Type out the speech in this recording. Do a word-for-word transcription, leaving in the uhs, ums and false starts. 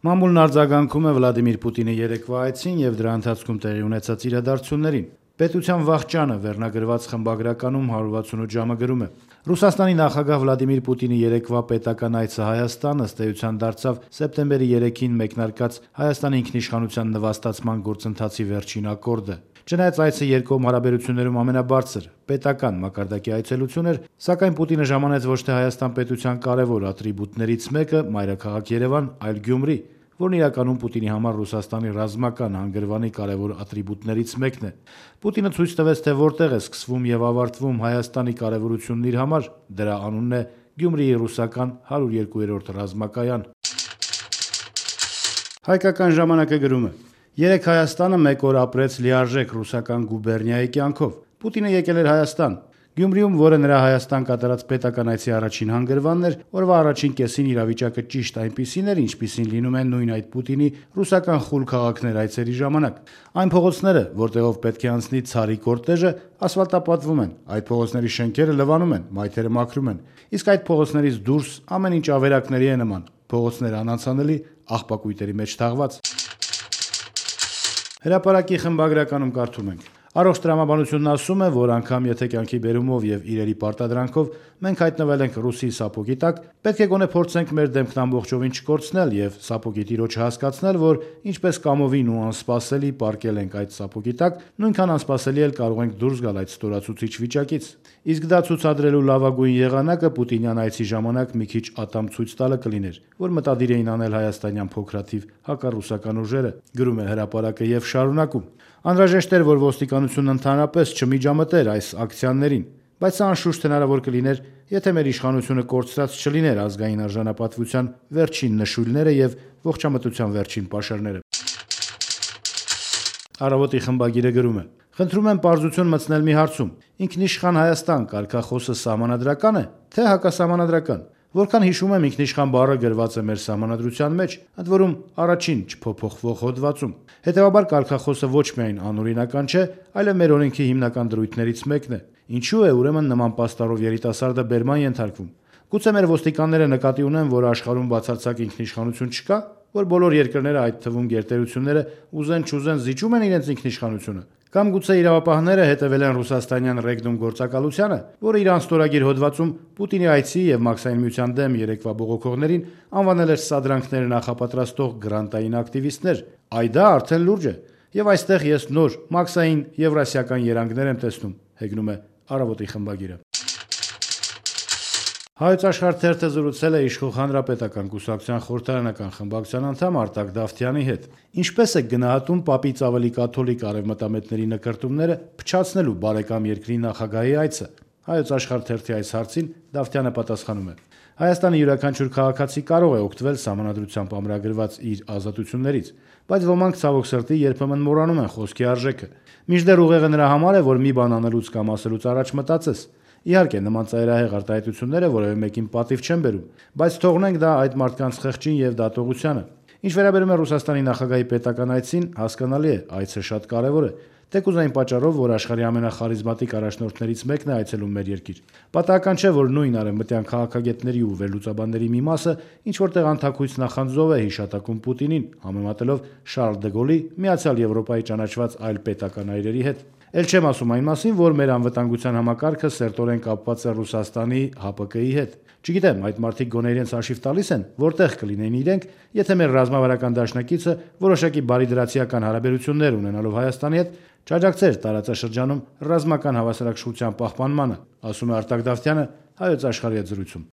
Մամուլն արձագանքում է Վլադիմիր Պուտինի երեկվա այցին եւ դրա ընթացքում տեղի ունեցած իրադարձություններին։ Պետության վախճանը վերնագրված խմբագրականում հարյուր վաթսունութ ժամը գրում է. Ռուսաստանի նախագահ Վլադիմիր Պուտինի երեկվա պետական այցը Հայաստան ըստ էության դարձավ սեպտեմբերի երեքին մեկնարկած Հայաստանի ինքնիշխանության նվաստացման գործընթացի վերջին ակորդը։ Չնայած այցը երկկողմ հարաբերություններում ամենաբարձր պետական մակարդակի այցելություն էր, սակայն Պուտինը ժամանեց ոչ թե Հայաստան պետության կարևոր ատրիբուտներից մեկը՝ մայրաքաղաք Երևան, այլ Գյումրի, որն իրականում Պուտինի համար Ռուսաստանի ռազմական հանգրվանի կարևոր ատրիբուտներից մեկն է։ Պուտինը ցույց տվեց, թե որտեղ է սկսվում եւ ավարտվում Հայաստանի կարևորությունն իր համար, դրա անունն է Գյումրիի ռուսական հարյուր երկու ռազմակայան։ Հայկական ժամանակը գրում է. Երեկ Հայաստանը մեկ օր ապրեց լիարժեք ռուսական գուբերնիայի կյանքով։ Պուտինը եկել էր Հայաստան։ Գյումրիում, որը նրա Հայաստան կատարած պետական այցի առաջին հանգրվանն էր, օրվա առաջին կեսին իրավիճակը ճիշտ այնպիսին էր, ինչպիսին լինում են նույն այդ Պուտինի ռուսական խուլ քաղաքներ այցերի ժամանակ։ Այն փողոցները, որտեղով պետք է անցնի ցարի կորտեժը, ասֆալտապատվում են, այդ փողոցների շենքերը լվանում են, մայթերը մաքրում են, իսկ այդ փողոցներից դուրս ամեն ինչ ավերակների է նման, փողոցները անանցանելի, աղբակույտերի մեջ թաղված։ Հրապարակի խմբագրականում կարդում ենք. Առողջ տրամաբանությունն ասում է, որ անգամ եթե կյանքի բերումով եւ իրերի պարտադրանքով մենք հայտնվել ենք ռուսի սապոգի տակ, պետք է գոնե փորձենք մեր դեմքն ամբողջովին չկորցնել եւ սապոգի տիրոջը հասկացնել, որ ինչպես կամովին ու անսպասելի պառկել ենք այդ սապոգի տակ, նույնքան անսպասելի էլ կարող ենք դուրս գալ այդ ստորացուցիչ վիճակից։ Իսկ դա ցուցադրելու լավագույն եղանակը Պուտինյան այցի ժամանակ մի քիչ ատամ ցույց տալը կլիներ, որ մտադիր էին անել հայաստանյան փոքրաթիվ հակառուսական ուժերը, գրում է հրապարակը եւ շարունակում. Անհրաժեշտ էր, որ ոստիկանությունն ընդհանրապես չմիջամտեր այս ակցիաներին, բայց սա անշուշտ հնարավոր կլիներ, եթե մեր իշխանությունը կորցրած չլիներ ազգային արժանապատվության վերջին նշույլները եւ ողջամտության վերջին պաշարները։ Առավոտի խմբագիրը գրում է. Խնդրում եմ պարզություն մտցնել մի հարցում. ինքնիշխան Հայաստան կարգախոսը սահմանադրակա՞ն է, թե հակասահմանադրական։ Որքան հիշում եմ, ինքնիշխան բառը գրված է մեր սահմանադրության մեջ, ընդ որում առաջին չփոփոխվող հոդվածում։ Հետևաբար կարգախոսը ոչ միայն անօրինական չէ, այլև մեր օրենքի հիմնական դրույթներից մեկն է։ Ինչու է ուրեմն նման պաստառով երիտասարդը բերման ենթարկվում։ Գուցե մեր ոստիկանները նկատի ունեն, որ աշխարհում բացարձակ ինքնիշխանություն չկա, որ բոլոր երկրները, այդ թվում գերտերությունները, ուզեն չուզեն զիջում են իրենց ինքնիշխանությունը։ Կամ գուցե իրավապահները հետևել են ռուսաստանյան ռեգնում գործակալությանը, որը իր անստորագիր հոդվածում Պուտինի այցի եւ Մաքսային միության դեմ երեկվա բողոքողներին անվանել էր սադրանքներ նախապատրաստող գրանտային ակտիվիստներ։ Այ դա արդեն լուրջ է։ Եվ այստեղ ես նոր Մաքսային եվրասիական երանգներ եմ տեսնում, հեգնում է Առավոտի խմբագիրը։ Հայոց Աշխարհ թերթը զրուցել է իշխող հանրապետական կուսակցության խորհրդարանական խմբակցության անդամ Արտակ Դավթյանի հետ։ Ինչպես է գնահատում պապից ավելի կաթոլիկ արևմտամետների նկրտումները փչացնելու բարեկամ երկրի նախագահի այցը։ Հայոց Աշխարհ թերթի այս հարցին Դավթյանը պատասխանում է. Հայաստանի յուրաքանչյուր քաղաքացի կարող է օգտվել սահմանադրությամբ ամրագրված իր ազատություններից, բայց ոմանք ցավոք սրտի երբեմն մոռանում են խոսքի արժեքը։ Մինչդեռ ուղեղը նրա համար է, որ մի բան անելուց կամ ասելուց առաջ մտածես։ Իհարկե, նման ծայրահեղ արտահայտությունները որևէ մեկին պատիվ չեն բերում, բայց թողնենք դա այդ մարդկանց խղճին եւ դատողությանը։ Ինչ վերաբերում է Ռուսաստանի նախագահի պետական այցին, հասկանալի է, այցը շատ կարևոր է, թեկուզ այն պատճառով, որ աշխարհի ամենախարիզմատիկ առաջնորդներից մեկն է այցելում մեր երկիր։ Պատահական չէ, որ նույն արևմտյան քաղաքագետների ու վերլուծաբանների մի մասը ինչ որտեղ անթաքույց նախանձով է հիշատակում Պուտինին, համեմատելով Շարլ դե Գոլի Միացյալ Եվրոպայի ճանաչված այլ պետական այրերի հետ։ Էլ չեմ ասում այն մասին, որ մեր անվտանգության համակարգը սերտորեն կապված է Ռուսաստանի Հ Պ Կ-ի հետ։ Չգիտեմ, այդ մարդիկ գոնե իրենց հաշիվ տալիս են, որտեղ կլինեն իրենք, եթե մեր ռազմավարական դաշնակիցը որոշակի բարիդրացիական հարաբերություններ ունենալով Հայաստանի հետ չաջակցեր տարածաշրջանում ռազմական հավասարակշռության պահպանմանը, ասում է Արտակ Դավթյանը Հայոց Աշխարհի հետ զրույցում։